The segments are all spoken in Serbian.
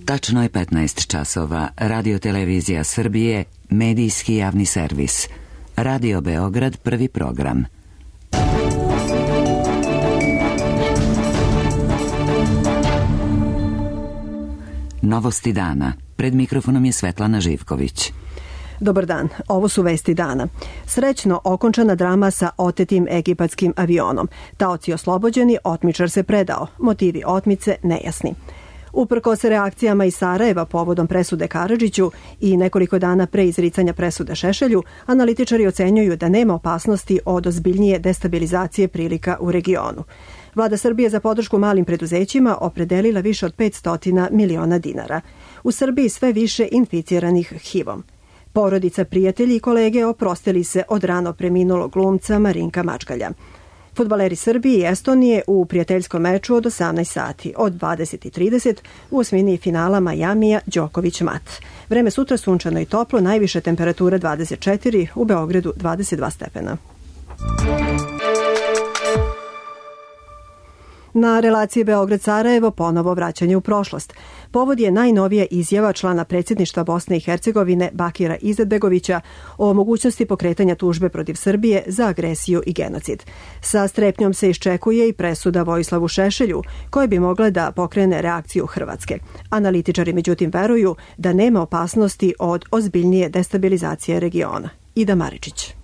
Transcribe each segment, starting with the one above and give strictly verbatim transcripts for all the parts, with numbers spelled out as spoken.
Tačno je petnaest časova. Radio Televizija Srbije, medijski javni servis. Radio Beograd, prvi program. Novosti dana. Pred mikrofonom je Svetlana Živković. Dobar dan, ovo su vesti dana. Srećno okončana drama sa otetim egipatskim avionom. Taoci oslobođeni, otmičar se predao. Motivi otmice nejasni. Uprkos reakcijama iz Sarajeva povodom presude Karadžiću i nekoliko dana pre izricanja presude Šešelju, analitičari ocenjuju da nema opasnosti od ozbiljnije destabilizacije prilika u regionu. Vlada Srbije za podršku malim preduzećima opredelila više od petsto miliona dinara. U Srbiji sve više inficiranih H I V-om. Porodica, prijatelji i kolege oprostili se od rano preminulog glumca Marinka Mačgalja. Fudbaleri Srbije i Estonije u prijateljskom meču od osamnaest sati, od dvadeset i trideset u osmini finala Majamija Đoković-Mat. Vreme sutra sunčano i toplo, najviša temperatura dvadeset četiri, u Beogradu dvadeset dva stepena. Na relaciji Beograd-Sarajevo ponovo vraćanje u prošlost. Povod je najnovija izjava člana predsjedništva Bosne i Hercegovine Bakira Izetbegovića o mogućnosti pokretanja tužbe protiv Srbije za agresiju i genocid. Sa strepnjom se iščekuje i presuda Vojislavu Šešelju, koja bi mogla da pokrene reakciju Hrvatske. Analitičari međutim veruju da nema opasnosti od ozbiljnije destabilizacije regiona. Ida Maričić.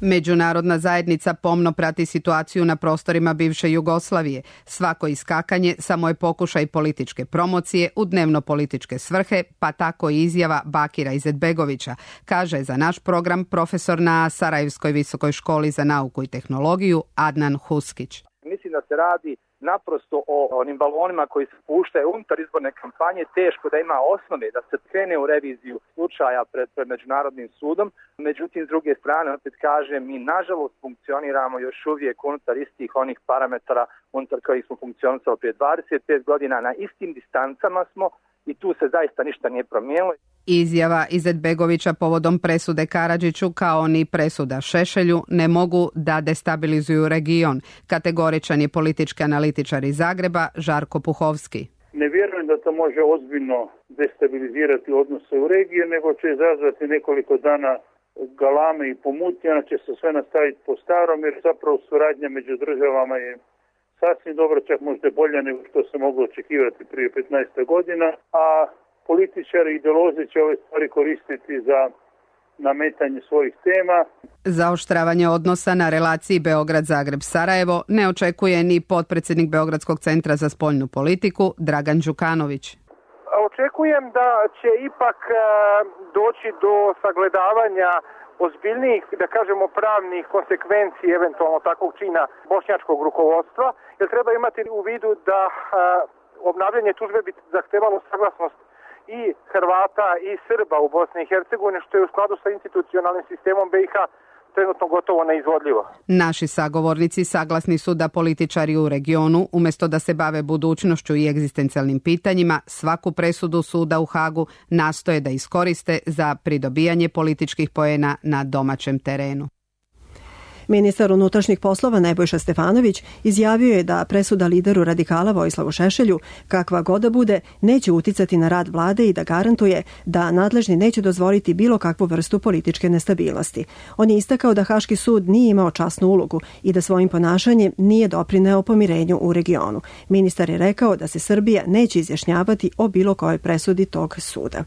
Međunarodna zajednica pomno prati situaciju na prostorima bivše Jugoslavije. Svako iskakanje samo je pokušaj političke promocije u dnevno-političke svrhe, pa tako i izjava Bakira Izetbegovića, kaže za naš program profesor na Sarajevskoj visokoj školi za nauku i tehnologiju Adnan Huskić. Mislim da se radi naprosto o onim balonima koji se puštaju unutar izborne kampanje, teško da ima osnove da se krene u reviziju slučaja pred, pred Međunarodnim sudom. Međutim, s druge strane, opet kažem, mi nažalost funkcioniramo još uvijek unutar istih onih parametara unutar kojih smo funkcionisali prije dvadeset pet godina, na istim distancama smo i tu se zaista ništa nije promijenilo. Izjava Izetbegovića povodom presude Karadžiću kao ni presuda Šešelju ne mogu da destabilizuju region. Kategoričan je politički analitičar iz Zagreba Žarko Puhovski. Ne vjerujem da to može ozbiljno destabilizirati odnose u regiji, nego će izazvati nekoliko dana galame i pomutnje, ona će se sve nastaviti po starom, jer zapravo suradnja među državama je sasvim dobro, čak možda bolja nego što se moglo očekivati prije petnaest godina, a političari i ideolozi će ove stvari koristiti za nametanje svojih tema. Zaoštravanje odnosa na relaciji Beograd-Zagreb-Sarajevo ne očekuje ni potpredsjednik Beogradskog centra za spoljnu politiku Dragan Đukanović. Očekujem da će ipak doći do sagledavanja ozbiljnijih, da kažemo, pravnih konsekvenci eventualno takvog čina bošnjačkog rukovodstva, jer treba imati u vidu da obnavljanje tužbe bi zahtevalo saglasnost i Hrvata i Srba u Bosni i Hercegovini, što je u skladu sa institucionalnim sistemom B i H trenutno gotovo neizvodljivo. Naši sagovornici saglasni su da političari u regionu, umjesto da se bave budućnošću i egzistencijalnim pitanjima, svaku presudu suda u Hagu nastoje da iskoriste za pridobijanje političkih poena na domaćem terenu. Ministar unutrašnjih poslova Nebojša Stefanović izjavio je da presuda lideru radikala Vojislavu Šešelju, kakva god da bude, neće uticati na rad vlade i da garantuje da nadležni neće dozvoliti bilo kakvu vrstu političke nestabilnosti. On je istakao da Haški sud nije imao časnu ulogu i da svojim ponašanjem nije doprineo pomirenju u regionu. Ministar je rekao da se Srbija neće izjašnjavati o bilo kojoj presudi tog suda.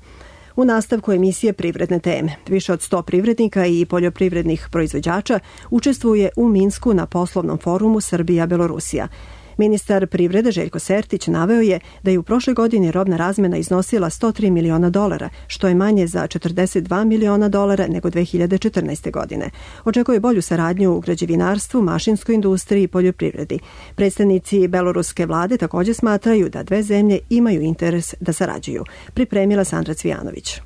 U nastavku emisije Privredne teme. Više od sto privrednika i poljoprivrednih proizvođača učestvuje u Minsku na poslovnom forumu Srbija-Belorusija. Ministar privrede Željko Sertić naveo je da je u prošloj godini robna razmena iznosila sto tri miliona dolara, što je manje za četrdeset dva miliona dolara nego dve hiljade četrnaeste. godine. Očekuje bolju saradnju u građevinarstvu, mašinskoj industriji i poljoprivredi. Predstavnici beloruske vlade također smatraju da dve zemlje imaju interes da sarađuju. Pripremila Sandra Cvijanović.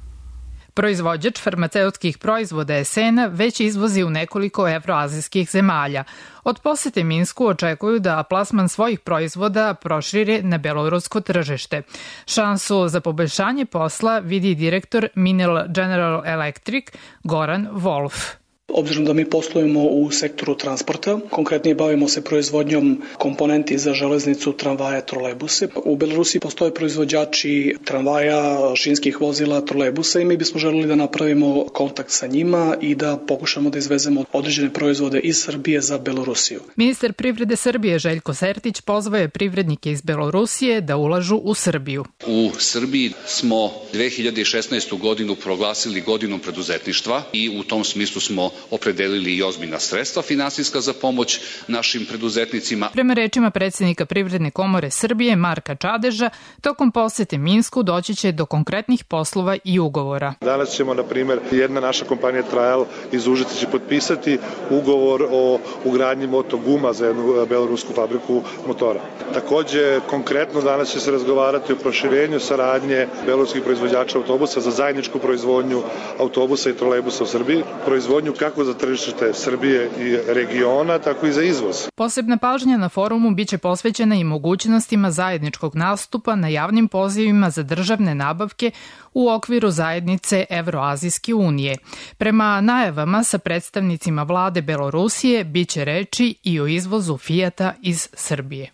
Proizvođač farmaceutskih proizvoda Esena već izvozi u nekoliko evroazijskih zemalja. Od posete Minsku očekuju da plasman svojih proizvoda prošire na belorusko tržište. Šansu za poboljšanje posla vidi direktor Minel General Electric Goran Wolf. Obzirom da mi poslujemo u sektoru transporta, konkretnije bavimo se proizvodnjom komponenti za železnicu, tramvaje, trolejbuse. U Belorusiji postoje proizvođači tramvaja, šinskih vozila, trolejbusa i mi bismo želeli da napravimo kontakt sa njima i da pokušamo da izvezemo određene proizvode iz Srbije za Belorusiju. Ministar privrede Srbije Željko Sertić pozvao je privrednike iz Belorusije da ulažu u Srbiju. U Srbiji smo dve hiljade šesnaestu godinu proglasili godinom preduzetništva i u tom smislu smo opredelili i ozbiljna sredstva finansijska za pomoć našim preduzetnicima. Prema rečima predsjednika Privredne komore Srbije Marka Čadeža, tokom posete Minsku doći će do konkretnih poslova i ugovora. Danas ćemo, na primjer, jedna naša kompanija Trial iz Užica će potpisati ugovor o ugradnji motoguma za jednu belorusku fabriku motora. Takođe, konkretno danas će se razgovarati o proširenju saradnje beloruskih proizvođača autobusa za zajedničku proizvodnju autobusa i trolejbusa u Srbiji, proizvodnju kako za tržište Srbije i regiona, tako i za izvoz. Posebna pažnja na forumu biće posvećena i mogućnostima zajedničkog nastupa na javnim pozivima za državne nabavke u okviru zajednice Evroazijske unije. Prema najavama sa predstavnicima vlade Belorusije biće reči i o izvozu Fijata iz Srbije.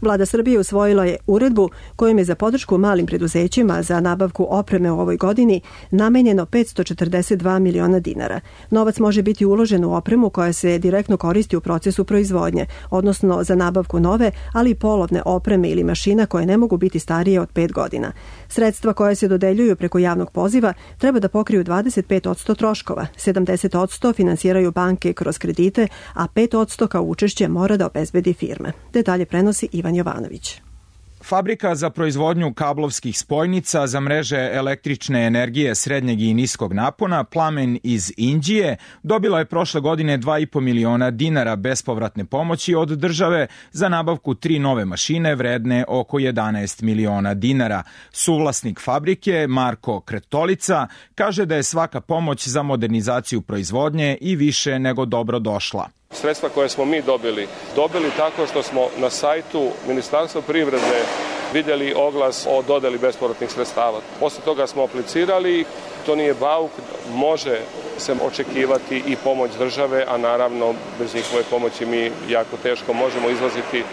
Vlada Srbije usvojila je uredbu kojom je za podršku malim preduzećima za nabavku opreme u ovoj godini namenjeno petsto četrdeset dva miliona dinara. Novac može biti uložen u opremu koja se direktno koristi u procesu proizvodnje, odnosno za nabavku nove, ali i polovne opreme ili mašina koje ne mogu biti starije od pet godina. Sredstva koja se dodeljuju preko javnog poziva treba da pokriju dvadeset pet posto troškova, sedamdeset posto finansiraju banke kroz kredite, a pet posto kao učešće mora da obezbedi firme. Detalje prenosi Ivan Jovanović. Fabrika za proizvodnju kablovskih spojnica za mreže električne energije srednjeg i niskog napona Plamen iz Inđije dobila je prošle godine dva i po miliona dinara bespovratne pomoći od države za nabavku tri nove mašine vredne oko jedanaest miliona dinara. Suvlasnik fabrike Marko Kretolica kaže da je svaka pomoć za modernizaciju proizvodnje i više nego dobro došla. Sredstva koje smo mi dobili, dobili tako što smo na sajtu Ministarstva privrede vidjeli oglas o dodeli bespovratnih sredstava. Posle toga smo aplicirali, to nije bauk, može se očekivati i pomoć države, a naravno bez njihove pomoći mi jako teško možemo izlaziti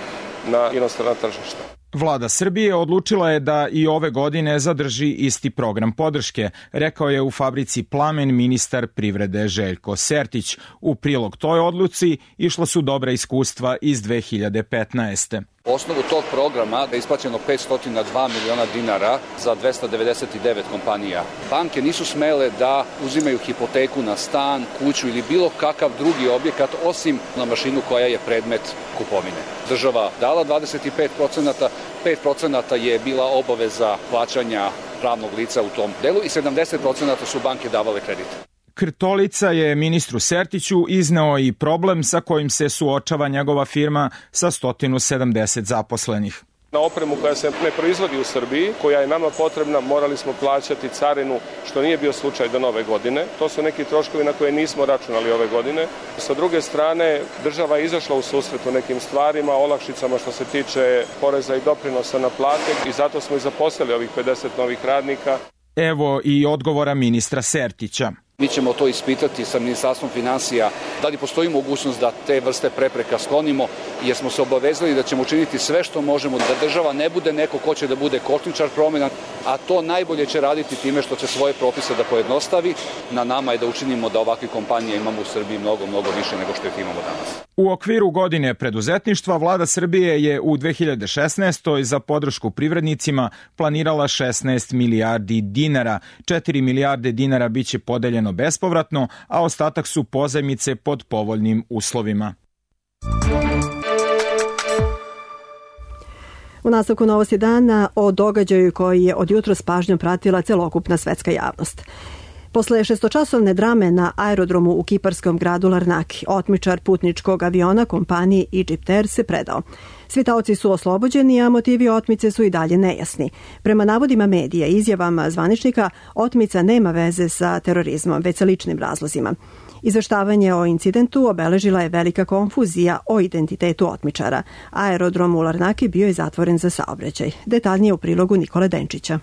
na inostrana tržišta. Vlada Srbije odlučila je da i ove godine zadrži isti program podrške, rekao je u fabrici Plamen ministar privrede Željko Sertić. U prilog toj odluci išla su dobra iskustva iz dve hiljade petnaeste. U osnovu tog programa je isplaćeno petsto dva miliona dinara za dvesta devedeset devet kompanija. Banke nisu smele da uzimaju hipoteku na stan, kuću ili bilo kakav drugi objekat osim na mašinu koja je predmet kupovine. Država dala dvadeset pet posto, pet posto je bila obaveza plaćanja pravnog lica u tom delu i sedamdeset posto su banke davale kredite. Krtolica je ministru Sertiću izneo i problem sa kojim se suočava njegova firma sa sto sedamdeset zaposlenih. Na opremu koja se ne proizvodi u Srbiji, koja je nama potrebna, morali smo plaćati carinu, što nije bio slučaj do nove godine. To su neki troškovi na koje nismo računali ove godine. Sa druge strane, država je izašla u susret u nekim stvarima, olakšicama što se tiče poreza i doprinosa na plate i zato smo i zaposlili ovih pedeset novih radnika. Evo i odgovora ministra Sertića. Mi ćemo to ispitati sa Ministarstvom finansija, da li postoji mogućnost da te vrste prepreka sklonimo, jer smo se obavezali da ćemo učiniti sve što možemo, da država ne bude neko ko će da bude kočničar promjena, a to najbolje će raditi time što će svoje propise da pojednostavi. Na nama je da učinimo da ovakve kompanije imamo u Srbiji mnogo, mnogo više nego što ih imamo danas. U okviru godine preduzetništva Vlada Srbije je u dve hiljade šesnaestoj za podršku privrednicima planirala šesnaest milijardi dinara. četiri milijarde dinara biće podeljeno bespovratno, a ostatak su pozajmice pod povoljnim uslovima. U nastavku novosti dana o događaju koji je od jutros s pažnjom pratila celokupna svetska javnost. Posle šestočasovne drame na aerodromu u kiparskom gradu Larnaki, otmičar putničkog aviona kompanije Egypt Air se predao. Svi taoci su oslobođeni, a motivi otmice su i dalje nejasni. Prema navodima medija i izjavama zvaničnika, otmica nema veze sa terorizmom, već sa ličnim razlozima. Izveštavanje o incidentu obeležila je velika konfuzija o identitetu otmičara. Aerodrom u Larnaki bio je zatvoren za saobraćaj. Detaljnije u prilogu Nikole Denčića.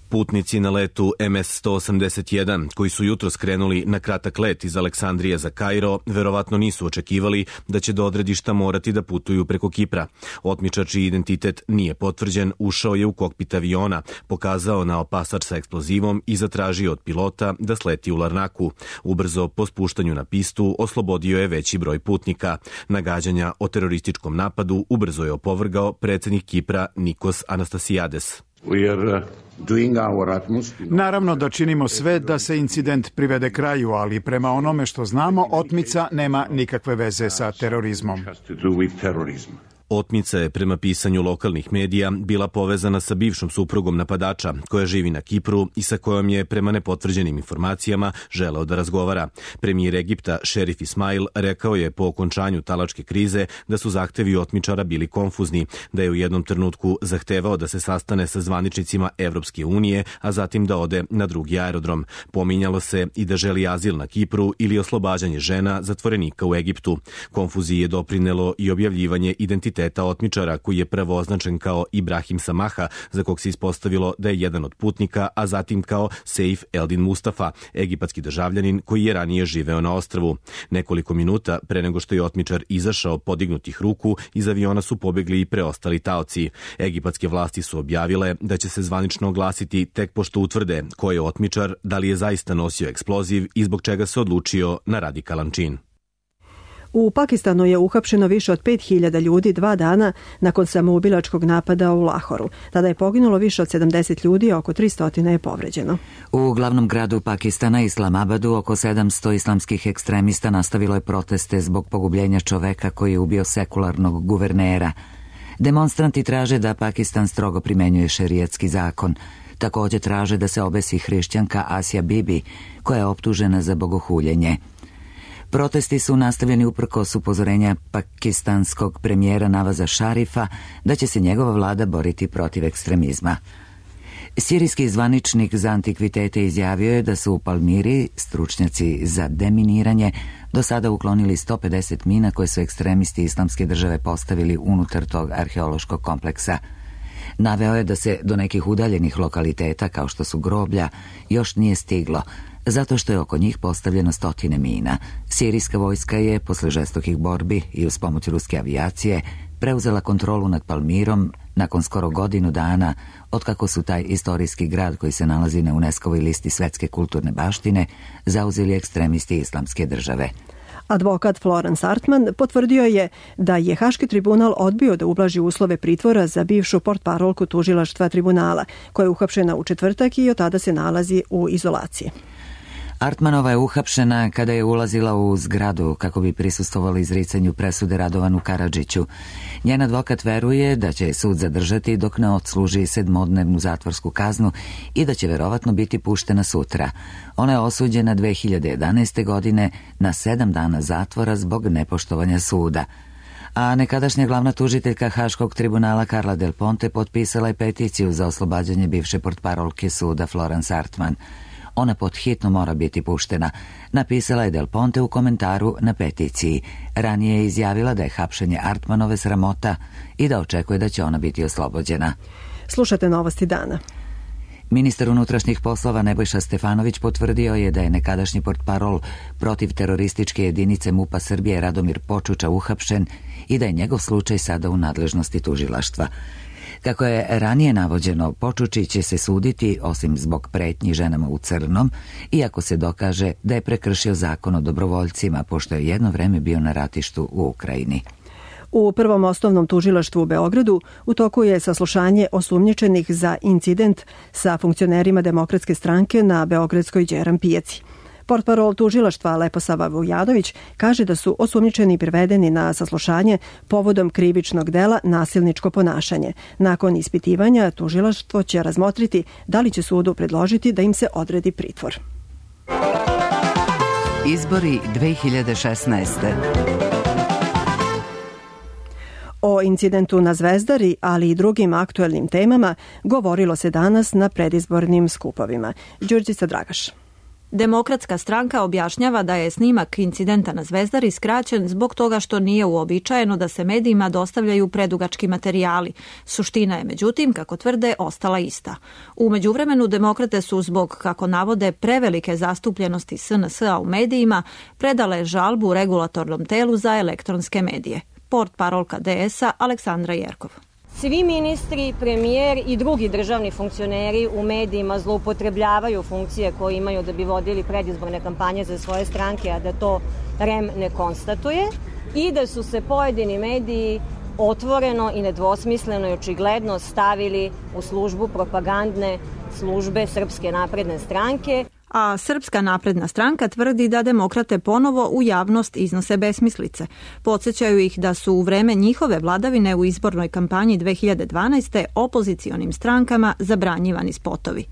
Putnici na letu em es sto osamdeset jedan, koji su jutro skrenuli na kratak let iz Aleksandrije za Kairo, verovatno nisu očekivali da će do odredišta morati da putuju preko Kipra. Otmičar čiji identitet nije potvrđen, ušao je u kokpit aviona, pokazao naopasač sa eksplozivom i zatražio od pilota da sleti u Larnaku. Ubrzo po spuštanju na pistu oslobodio je veći broj putnika. Nagađanja o terorističkom napadu ubrzo je opovrgao predsjednik Kipra Nikos Anastasiades. Naravno da činimo sve da se incident privede kraju, ali prema onome što znamo, otmica nema nikakve veze sa terorizmom. Otmica je prema pisanju lokalnih medija bila povezana sa bivšom suprugom napadača koja živi na Kipru i sa kojom je prema nepotvrđenim informacijama želeo da razgovara. Premijer Egipta Šerif Ismail rekao je po okončanju talačke krize da su zahtevi otmičara bili konfuzni, da je u jednom trenutku zahtevao da se sastane sa zvaničnicima Evropske unije, a zatim da ode na drugi aerodrom. Pominjalo se i da želi azil na Kipru ili oslobađanje žena zatvorenika u Egiptu. Konfuziji je doprinelo i objavljivanje identiteta teta otmičara koji je prvo označen kao Ibrahim Samaha, za kog se ispostavilo da je jedan od putnika, a zatim kao Seif Eldin Mustafa, egipatski državljanin koji je ranije živeo na ostrvu. Nekoliko minuta pre nego što je otmičar izašao podignutih ruku, iz aviona su pobegli i preostali taoci. Egipatske vlasti su objavile da će se zvanično oglasiti tek pošto utvrde ko je otmičar, da li je zaista nosio eksploziv i zbog čega se odlučio na radikalan čin. U Pakistanu je uhapšeno više od pet hiljada ljudi dva dana nakon samoubilačkog napada u Lahoru. Tada je poginulo više od sedamdeset ljudi, a oko tristo je povređeno. U glavnom gradu Pakistana, Islamabadu, oko sedamsto islamskih ekstremista nastavilo je proteste zbog pogubljenja čoveka koji je ubio sekularnog guvernera. Demonstranti traže da Pakistan strogo primenjuje šerijatski zakon. Također traže da se obesi hrišćanka Asija Bibi, koja je optužena za bogohuljenje. Protesti su nastavljeni uprkos upozorenja pakistanskog premijera Navaza Šarifa da će se njegova vlada boriti protiv ekstremizma. Sirijski zvaničnik za antikvitete izjavio je da su u Palmiri stručnjaci za deminiranje do sada uklonili sto pedeset mina koje su ekstremisti Islamske države postavili unutar tog arheološkog kompleksa. Naveo je da se do nekih udaljenih lokaliteta, kao što su groblja, još nije stiglo, zato što je oko njih postavljeno stotine mina. Sirijska vojska je, posle žestokih borbi i uz pomoć ruske avijacije, preuzela kontrolu nad Palmirom nakon skoro godinu dana, otkako su taj istorijski grad koji se nalazi na UNESCO-voj listi svetske kulturne baštine zauzeli ekstremisti Islamske države. Advokat Florence Artman potvrdio je da je Haški tribunal odbio da ublaži uslove pritvora za bivšu portparolku tužilaštva tribunala, koja je uhapšena u četvrtak i od tada se nalazi u izolaciji. Artmanova je uhapšena kada je ulazila u zgradu kako bi prisustvovali izricanju presude Radovanu Karadžiću. Njen advokat veruje da će sud zadržati dok ne odsluži sedmodnevnu zatvorsku kaznu i da će verovatno biti puštena sutra. Ona je osuđena dve hiljade jedanaeste. godine na sedam dana zatvora zbog nepoštovanja suda. A nekadašnja glavna tužiteljka Haškog tribunala Carla Del Ponte potpisala je peticiju za oslobađanje bivše portparolke suda Florence Artman. Ona pod hitno mora biti puštena, napisala je Del Ponte u komentaru na peticiji. Ranije je izjavila da je hapšenje Artmanove sramota i da očekuje da će ona biti oslobođena. Slušate novosti dana. Ministar unutrašnjih poslova Nebojša Stefanović potvrdio je da je nekadašnji portparol protiv terorističke jedinice MUP-a Srbije Radomir Počuča uhapšen i da je njegov slučaj sada u nadležnosti tužilaštva. Kako je ranije navođeno, Počuči će se suditi, osim zbog pretnji ženama u crnom, iako se dokaže da je prekršio zakon o dobrovoljcima, pošto je jedno vreme bio na ratištu u Ukrajini. U Prvom osnovnom tužilaštvu u Beogradu u toku je saslušanje osumnjičenih za incident sa funkcionerima Demokratske stranke na Beogradskoj Đeram pijaci. Portparol tužilaštva Leposava Vujanović kaže da su osumnjičeni privedeni na saslušanje povodom krivičnog dela nasilničko ponašanje. Nakon ispitivanja tužilaštvo će razmotriti da li će sudu predložiti da im se odredi pritvor. Izbori dve hiljade šesnaeste. O incidentu na Zvezdari, ali i drugim aktuelnim temama govorilo se danas na predizbornim skupovima. Đurđica Dragaš. Demokratska stranka objašnjava da je snimak incidenta na Zvezdari skraćen zbog toga što nije uobičajeno da se medijima dostavljaju predugački materijali. Suština je, međutim, kako tvrde, ostala ista. U međuvremenu demokrate su zbog, kako navode, prevelike zastupljenosti S N S-a u medijima predale žalbu regulatornom telu za elektronske medije. Portparolka D S-a Aleksandra Jerkov. Svi ministri, premijer i drugi državni funkcioneri u medijima zloupotrebljavaju funkcije koje imaju da bi vodili predizborne kampanje za svoje stranke, a da to R E M ne konstatuje, i da su se pojedini mediji otvoreno i nedvosmisleno i očigledno stavili u službu propagandne službe Srpske napredne stranke. A Srpska napredna stranka tvrdi da demokrate ponovo u javnost iznose besmislice. Podsjećaju ih da su u vreme njihove vladavine u izbornoj kampanji dve hiljade dvanaeste. opozicionim strankama zabranjivani spotovi.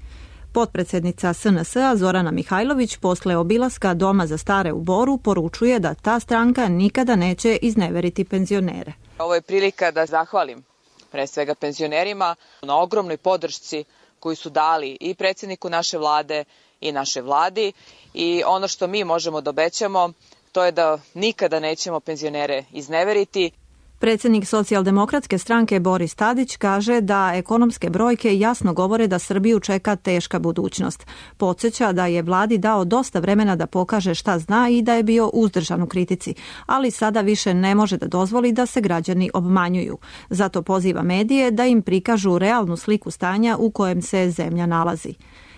Potpredsednica S N S-a Zorana Mihajlović posle obilaska Doma za stare u Boru poručuje da ta stranka nikada neće izneveriti penzionere. Ovo je prilika da zahvalim pre svega penzionerima na ogromnoj podršci koju su dali i predsjedniku naše vlade i naše vladi, i ono što mi možemo da obećamo to je da nikada nećemo penzionere izneveriti. Predsjednik socijaldemokratske stranke Boris Tadić kaže da ekonomske brojke jasno govore da Srbiju čeka teška budućnost. Podsjeća da je vladi dao dosta vremena da pokaže šta zna i da je bio uzdržan u kritici, ali sada više ne može da dozvoli da se građani obmanjuju. Zato poziva medije da im prikažu realnu sliku stanja u kojem se zemlja nalazi.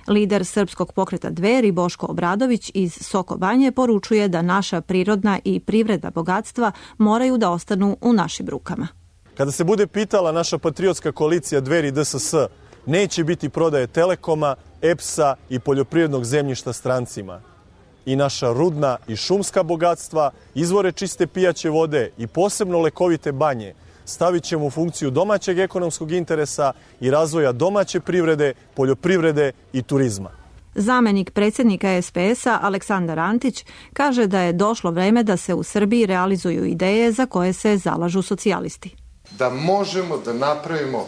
Lider Srpskog pokreta Dveri Boško Obradović iz Soko Banje poručuje da naša prirodna i privredna bogatstva moraju da ostanu u našim rukama. Kada se bude pitala naša patriotska koalicija Dveri D S S, neće biti prodaje Telekoma, E P S-a i poljoprivrednog zemljišta strancima. I naša rudna i šumska bogatstva, izvore čiste pijaće vode i posebno lekovite banje stavit ćemo u funkciju domaćeg ekonomskog interesa i razvoja domaće privrede, poljoprivrede i turizma. Zamenik predsjednika S P S-a Aleksandar Antić kaže da je došlo vreme da se u Srbiji realizuju ideje za koje se zalažu socijalisti. Da možemo da napravimo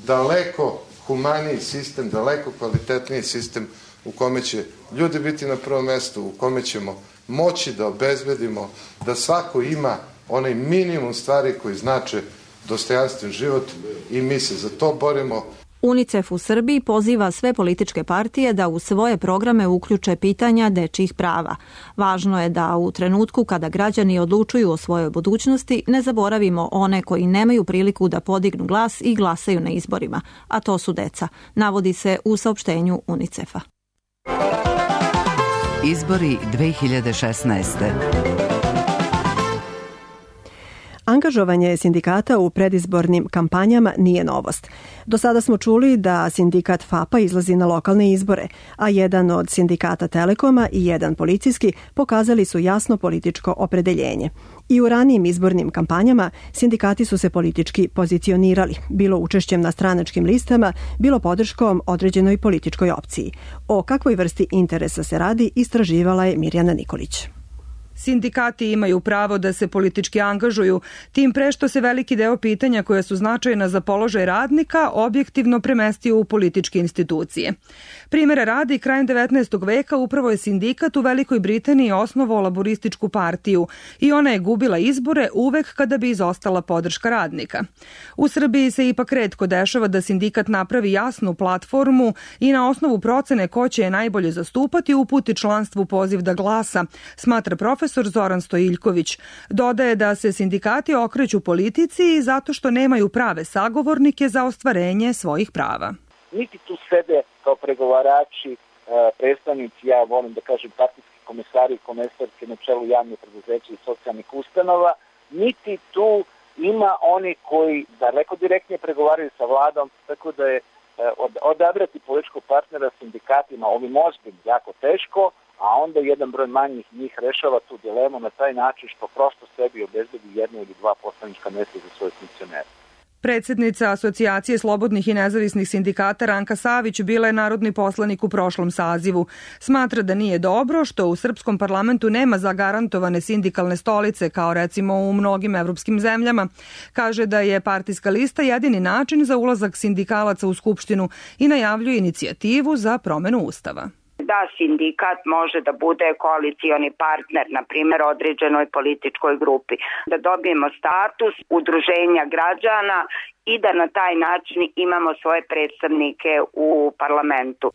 daleko humaniji sistem, daleko kvalitetniji sistem u kome će ljudi biti na prvom mestu, u kome ćemo moći da obezbedimo da svako ima onaj minimum stvari koji znače dostojanstven život, i mi se za to borimo. UNICEF u Srbiji poziva sve političke partije da u svoje programe uključe pitanja dečjih prava. Važno je da u trenutku kada građani odlučuju o svojoj budućnosti ne zaboravimo one koji nemaju priliku da podignu glas i glasaju na izborima, a to su deca, navodi se u saopštenju UNICEF-a. Izbori dve hiljade šesnaeste. Angažovanje sindikata u predizbornim kampanjama nije novost. Do sada smo čuli da sindikat F A P-a izlazi na lokalne izbore, a jedan od sindikata Telekoma i jedan policijski pokazali su jasno političko opredeljenje. I u ranijim izbornim kampanjama sindikati su se politički pozicionirali, bilo učešćem na stranačkim listama, bilo podrškom određenoj političkoj opciji. O kakvoj vrsti interesa se radi istraživala je Mirjana Nikolić. Sindikati imaju pravo da se politički angažuju, tim pre što se veliki deo pitanja koja su značajna za položaj radnika objektivno premestio u političke institucije. Primere radi, krajem devetnaestog veka upravo je sindikat u Velikoj Britaniji osnovao laborističku partiju i ona je gubila izbore uvek kada bi izostala podrška radnika. U Srbiji se ipak retko dešava da sindikat napravi jasnu platformu i na osnovu procene ko će je najbolje zastupati uputi članstvu poziv da glasa, smatra profesor Zoran Stojiljković. Dodaje da se sindikati okreću politici zato što nemaju prave sagovornike za ostvarenje svojih prava. Niti tu sede kao pregovarači, predstavnici, ja volim da kažem partijski komesari i komesarke na čelu javnih preduzeća i socijalnih ustanova, niti tu ima oni koji daleko direktnije pregovaraju sa vladom, tako da je odabrati političkog partnera sindikatima ovim ozbiljnim jako teško, a onda jedan broj manjih njih rešava tu dilemu na taj način što prosto sebi obezbedi jedno ili dva poslanička mesta za svoje funkcionere. Predsjednica Asocijacije slobodnih i nezavisnih sindikata Ranka Savić bila je narodni poslanik u prošlom sazivu. Smatra da nije dobro što u srpskom parlamentu nema zagarantovane sindikalne stolice kao recimo u mnogim evropskim zemljama. Kaže da je partijska lista jedini način za ulazak sindikalaca u Skupštinu i najavljuje inicijativu za promenu Ustava. da sindikat može da bude koalicioni partner, na primjer, određenoj političkoj grupi. Da dobijemo status udruženja građana i da na taj način imamo svoje predstavnike u parlamentu.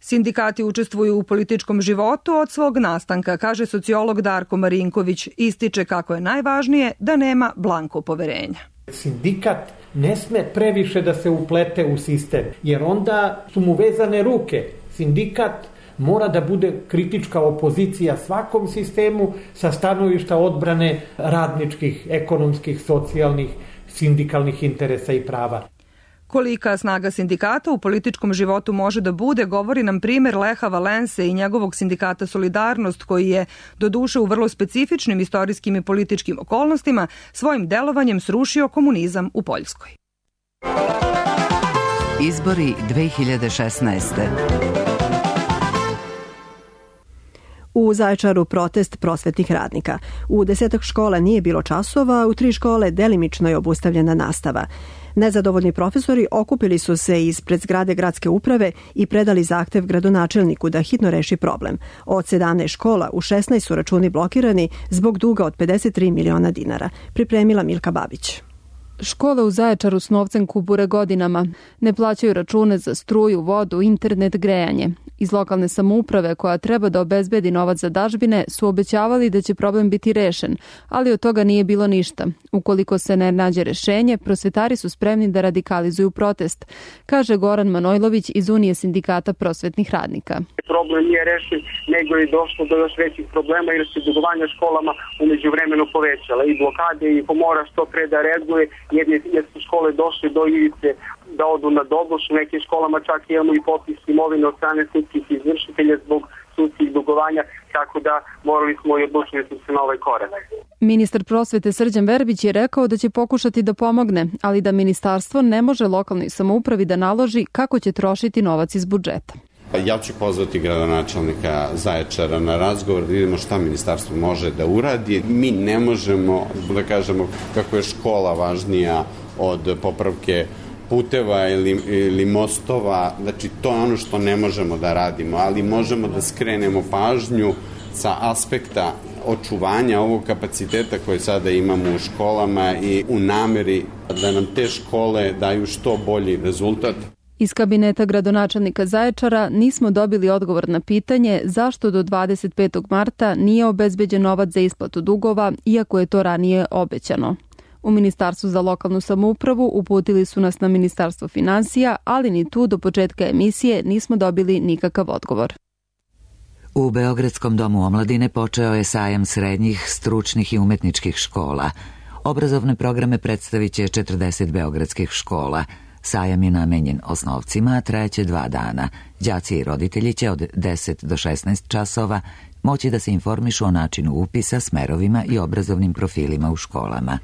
Sindikati učestvuju u političkom životu od svog nastanka, kaže sociolog Darko Marinković. Ističe kako je najvažnije da nema blanko poverenja. Sindikat ne sme previše da se uplete u sistem, jer onda su mu vezane ruke. Sindikat mora da bude kritička opozicija svakom sistemu sa stanovišta odbrane radničkih, ekonomskih, socijalnih, sindikalnih interesa i prava. Kolika snaga sindikata u političkom životu može da bude, govori nam primjer Leha Valense i njegovog sindikata Solidarnost, koji je, doduše u vrlo specifičnim istorijskim i političkim okolnostima, svojim delovanjem srušio komunizam u Poljskoj. Izbori dve hiljade šesnaeste. U Zaječaru protest prosvetnih radnika. U desetak škola nije bilo časova, u tri škole delimično je obustavljena nastava. Nezadovoljni profesori okupili su se ispred zgrade gradske uprave i predali zahtev gradonačelniku da hitno reši problem. Od sedamnaest škola u šesnaest su računi blokirani zbog duga od pedeset tri miliona dinara. Pripremila Milka Babić. Škole u Zaječaru s novcem kubure godinama. Ne plaćaju račune za struju, vodu, internet, grejanje. Iz lokalne samouprave, koja treba da obezbedi novac za dažbine, su obećavali da će problem biti rešen, ali od toga nije bilo ništa. Ukoliko se ne nađe rešenje, prosvetari su spremni da radikalizuju protest, kaže Goran Manojlović iz Unije sindikata prosvetnih radnika. Problem nije rešen, nego je došlo do još većih problema jer se dugovanja školama umeđu vremenu povećala. I blokade i pomora što pre da reaguje, jer su škole došle do ivice da odu na doboš. U nekim školama čak imamo i popis imovine od strane sudskih izvršitelja zbog sudskih dugovanja, tako da morali smo i odlučili smo se na ovaj korak. Ministar prosvete Srđan Verbić je rekao da će pokušati da pomogne, ali da ministarstvo ne može lokalnoj samoupravi da naloži kako će trošiti novac iz budžeta. Ja ću pozvati gradonačelnika Zaječara na razgovor da vidimo šta ministarstvo može da uradi. Mi ne možemo da kažemo kako je škola važnija od popravke puteva ili, ili mostova. Znači, to je ono što ne možemo da radimo, ali možemo da skrenemo pažnju sa aspekta očuvanja ovog kapaciteta koje sada imamo u školama i u nameri da nam te škole daju što bolji rezultat. Iz kabineta gradonačelnika Zaječara nismo dobili odgovor na pitanje zašto do dvadeset petog marta nije obezbeđen novac za isplatu dugova, iako je to ranije obećano. U Ministarstvu za lokalnu samoupravu uputili su nas na Ministarstvo finansija, ali ni tu do početka emisije nismo dobili nikakav odgovor. U Beogradskom domu omladine počeo je sajam srednjih, stručnih i umetničkih škola. Obrazovne programe predstavit će četrdeset beogradskih škola. Sajam je namenjen osnovcima, a trajeće dva dana. Đaci i roditelji će od deset do šesnaest časova moći da se informišu o načinu upisa, smerovima i obrazovnim profilima u školama.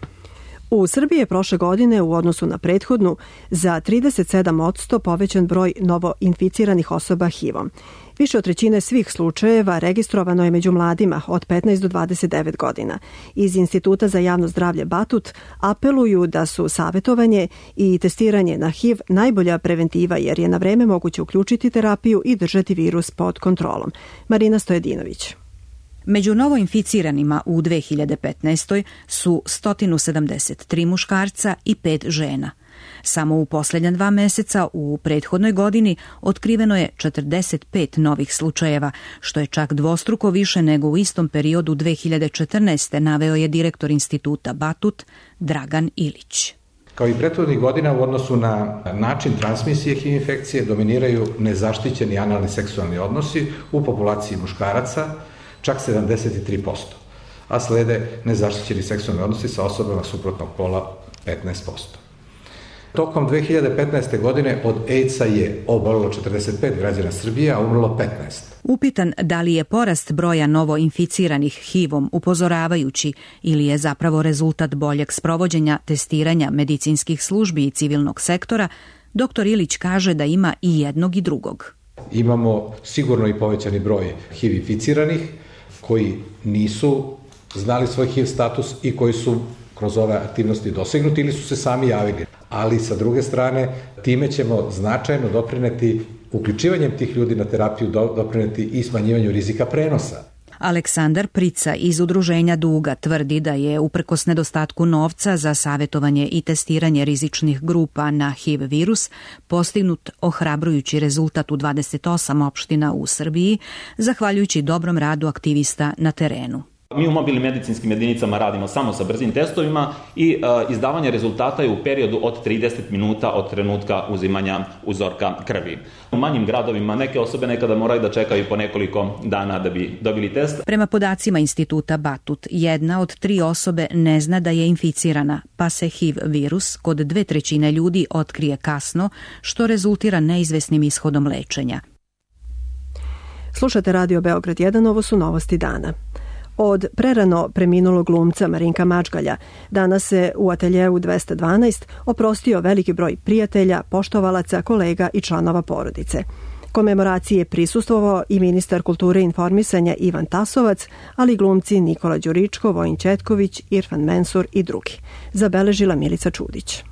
U Srbiji je prošle godine u odnosu na prethodnu za trideset sedam posto povećan broj novoinficiranih osoba H I V-om. Više od trećine svih slučajeva registrovano je među mladima od petnaest do dvadeset devet godina. Iz Instituta za javno zdravlje Batut apeluju da su savjetovanje i testiranje na H I V najbolja preventiva jer je na vreme moguće uključiti terapiju i držati virus pod kontrolom. Marina Stojedinović. Među novoinficiranima u dve hiljade petnaestoj su sto sedamdeset tri muškarca i pet žena. Samo u posljednja dva meseca u prethodnoj godini otkriveno je četrdeset pet novih slučajeva, što je čak dvostruko više nego u istom periodu dve hiljade četrnaeste. naveo je direktor Instituta Batut Dragan Ilić. Kao i prethodnih godina u odnosu na način transmisije H I V infekcije dominiraju nezaštićeni analni seksualni odnosi u populaciji muškaraca, čak sedamdeset tri posto, a slede nezaštićeni seksualni odnosi sa osobama suprotnog pola petnaest posto. Tokom dve hiljade petnaeste. godine od AIDS-a je obolelo četrdeset pet građana Srbije, a umrlo petnaest. Upitan da li je porast broja novoinficiranih H I V-om upozoravajući ili je zapravo rezultat boljeg sprovođenja testiranja medicinskih službi i civilnog sektora, doktor Ilić kaže da ima i jednog i drugog. Imamo sigurno i povećani broj H I V inficiranih koji nisu znali svoj H I V status i koji su kroz ove aktivnosti dosegnuti ili su se sami javili. Ali sa druge strane time ćemo značajno doprineti uključivanjem tih ljudi na terapiju doprineti i smanjivanju rizika prenosa. Aleksandar Prica iz Udruženja Duga tvrdi da je uprkos nedostatku novca za savjetovanje i testiranje rizičnih grupa na H I V virus postignut ohrabrujući rezultat u dvadeset osam opština u Srbiji, zahvaljujući dobrom radu aktivista na terenu. Mi u mobilnim medicinskim jedinicama radimo samo sa brzim testovima i e, izdavanje rezultata je u periodu od trideset minuta od trenutka uzimanja uzorka krvi. U manjim gradovima neke osobe nekada moraju da čekaju po nekoliko dana da bi dobili test. Prema podacima instituta Batut, jedna od tri osobe ne zna da je inficirana, pa se H I V virus kod dve trećine ljudi otkrije kasno, što rezultira neizvesnim ishodom lečenja. Slušate Radio Beograd jedan, ovo su novosti dana. Od prerano preminulog glumca Marinka Mačgalja danas se u ateljeu dvesta dvanaest oprostio veliki broj prijatelja, poštovalaca, kolega i članova porodice. Komemoraciji je prisustvovao i ministar kulture i informisanja Ivan Tasovac, ali i glumci Nikola Đuričko, Vojin Ćetković, Irfan Mensur i drugi. Zabeležila Milica Čudić.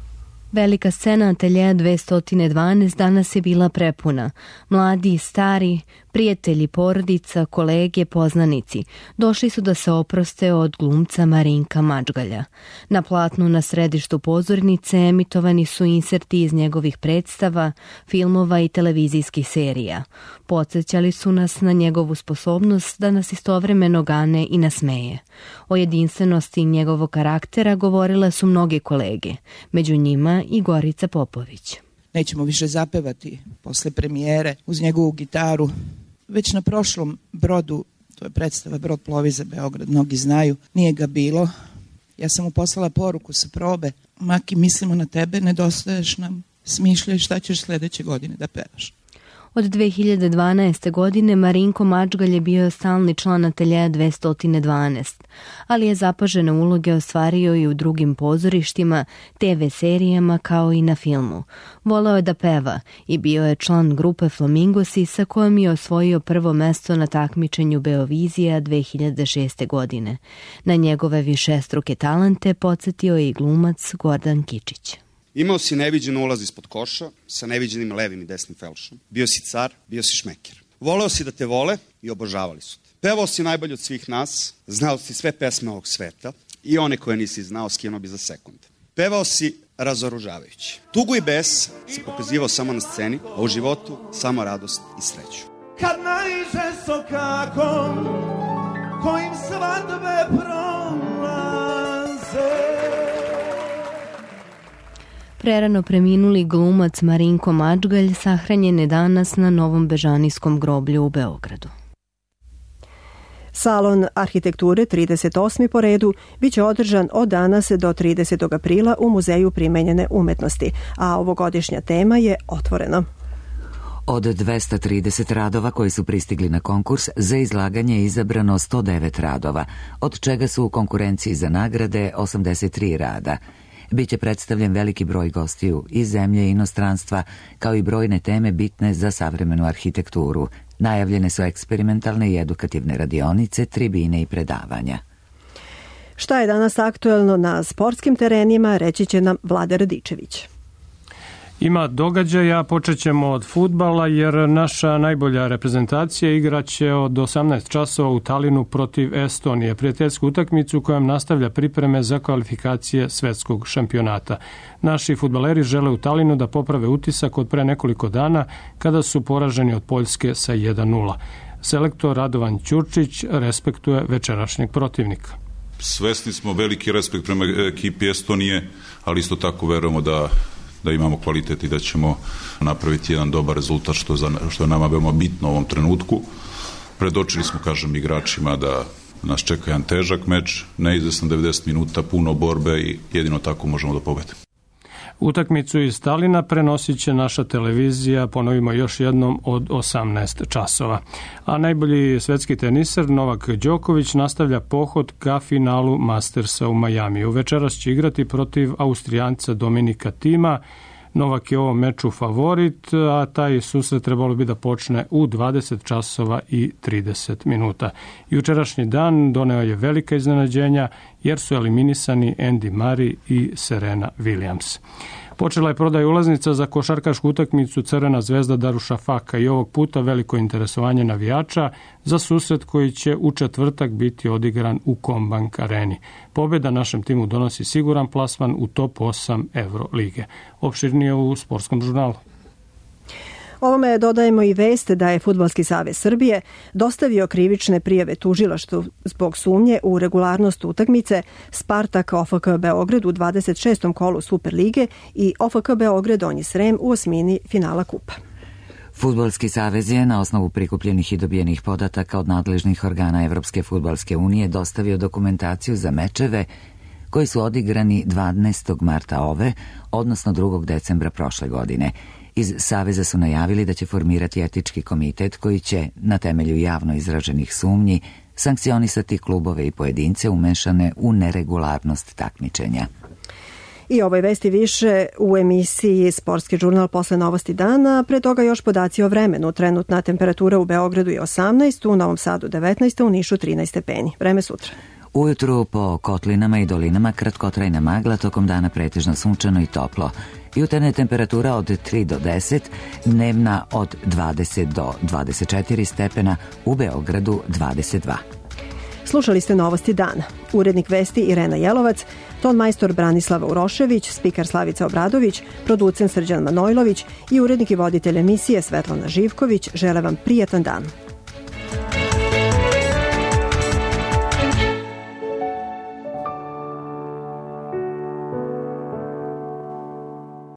Velika scena ateljeja dvesta dvanaest danas je bila prepuna. Mladi i stari, prijatelji, porodica, kolege, poznanici došli su da se oproste od glumca Marinka Mačgalja. Na platnu na središtu pozornice emitovani su inserti iz njegovih predstava, filmova i televizijskih serija. Podsjećali su nas na njegovu sposobnost da nas istovremeno gane i nasmeje. O jedinstvenosti njegovog karaktera govorile su mnoge kolege, među njima i Gorica Popović. Nećemo više zapevati posle premijere uz njegovu gitaru. Već na prošlom brodu, to je predstava Brod plovi za Beograd, mnogi znaju, nije ga bilo. Ja sam mu poslala poruku sa probe: Maki, mislimo na tebe, nedostaješ nam, smišljaj šta ćeš sledeće godine da pevaš. Od dve hiljade dvanaeste. godine Marinko Mačgalj je bio stalni član ateljeja dvesta dvanaest, ali je zapažene uloge ostvario i u drugim pozorištima, te ve serijama kao i na filmu. Voleo je da peva i bio je član grupe Flamingosi sa kojom je osvojio prvo mesto na takmičenju Beovizija dve hiljade šeste. godine. Na njegove višestruke talente podsjetio je i glumac Gordan Kičić. Imao si neviđen ulaz ispod koša, sa neviđenim levim i desnim felšom. Bio si car, bio si šmeker. Voleo si da te vole i obožavali su te. Pevao si najbolje od svih nas, znao si sve pesme ovog sveta i one koje nisi znao skinuo bi za sekund. Pevao si razoružavajući. Tugu i bes si pokazivao samo na sceni, a u životu samo radost i sreću. Kad naiđe sokakom, kojim svadbe prolaze. Prerano preminuli glumac Marinko Mačgalj sahranjen je danas na Novom Bežanijskom groblju u Beogradu. Salon arhitekture trideset osmi po redu biće održan od danas do tridesetog aprila u Muzeju primenjene umetnosti, a ovogodišnja tema je Otvoreno. Od dvesta trideset radova koji su pristigli na konkurs, za izlaganje je izabrano sto devet radova, od čega su u konkurenciji za nagrade osamdeset tri rada. Biće predstavljen veliki broj gostiju iz zemlje i inostranstva, kao i brojne teme bitne za savremenu arhitekturu. Najavljene su eksperimentalne i edukativne radionice, tribine i predavanja. Šta je danas aktuelno na sportskim terenima, reći će nam Vlada Radičević. Ima događaja, počet ćemo od fudbala jer naša najbolja reprezentacija igraće od osamnaest časova u Talinu protiv Estonije, prijateljsku utakmicu kojom nastavlja pripreme za kvalifikacije svetskog šampionata. Naši fudbaleri žele u Talinu da poprave utisak od pre nekoliko dana kada su poraženi od Poljske sa jedan nula. Selektor Radovan Ćurčić respektuje večerašnjeg protivnika. Svesni smo veliki respekt prema ekipi Estonije, ali isto tako verujemo da da imamo kvalitet i da ćemo napraviti jedan dobar rezultat, što, za, što je nama veoma bitno u ovom trenutku. Predočili smo, kažem, igračima da nas čeka jedan težak meč, neizvestan devedeset minuta, puno borbe i jedino tako možemo da pobedimo. Utakmicu iz Talina prenosit će naša televizija, ponovimo još jednom, od osamnaest časova. A najbolji svetski teniser Novak Đoković nastavlja pohod ka finalu Mastersa u Majamiju. Večeras će igrati protiv Austrijanca Dominika Tima. Novak je u ovom meču favorit, a taj susret trebalo bi da počne u dvadeset časova i trideset minuta. Jučerašnji dan doneo je velika iznenađenja jer su eliminisani Andy Murray i Serena Williams. Počela je prodaj ulaznica za košarkašku utakmicu Crvena zvezda Darušafaka i ovog puta veliko interesovanje navijača za susret koji će u četvrtak biti odigran u Kombank areni. Pobjeda našem timu donosi siguran plasman u top osam Evrolige. Opširnije u Sportskom žurnalu. Ovome dodajemo i vest da je Fudbalski savez Srbije dostavio krivične prijave tužilaštvu zbog sumnje u regularnost utakmice Spartak O F K Beograd u dvadeset šestom kolu Superlige i O F K Beograd Donji Srem u osmini finala kupa. Fudbalski savez je na osnovu prikupljenih i dobijenih podataka od nadležnih organa Evropske fudbalske unije dostavio dokumentaciju za mečeve koji su odigrani dvanaestog marta ove, odnosno drugog decembra prošle godine. Iz Saveza su najavili da će formirati etički komitet koji će, na temelju javno izraženih sumnji, sankcionisati klubove i pojedince umešane u neregularnost takmičenja. I ovoj vesti više u emisiji Sportski žurnal posle novosti dana, pre toga još podaci o vremenu. Trenutna temperatura u Beogradu je osamnaest, u Novom Sadu devetnaest, u Nišu trinaest stepeni. Vreme sutra. Ujutru po kotlinama i dolinama kratkotrajna magla, tokom dana pretežno sunčano i toplo. Jutarnja temperatura od tri do deset, dnevna od dvadeset do dvadeset četiri stepena, u Beogradu dvadeset dva. Slušali ste novosti dana. Urednik vesti Irena Jelovac, ton majstor Branislava Urošević, spikar Slavica Obradović, producent Srđan Manojlović i urednik i voditelj emisije Svetlana Živković žele vam prijatan dan.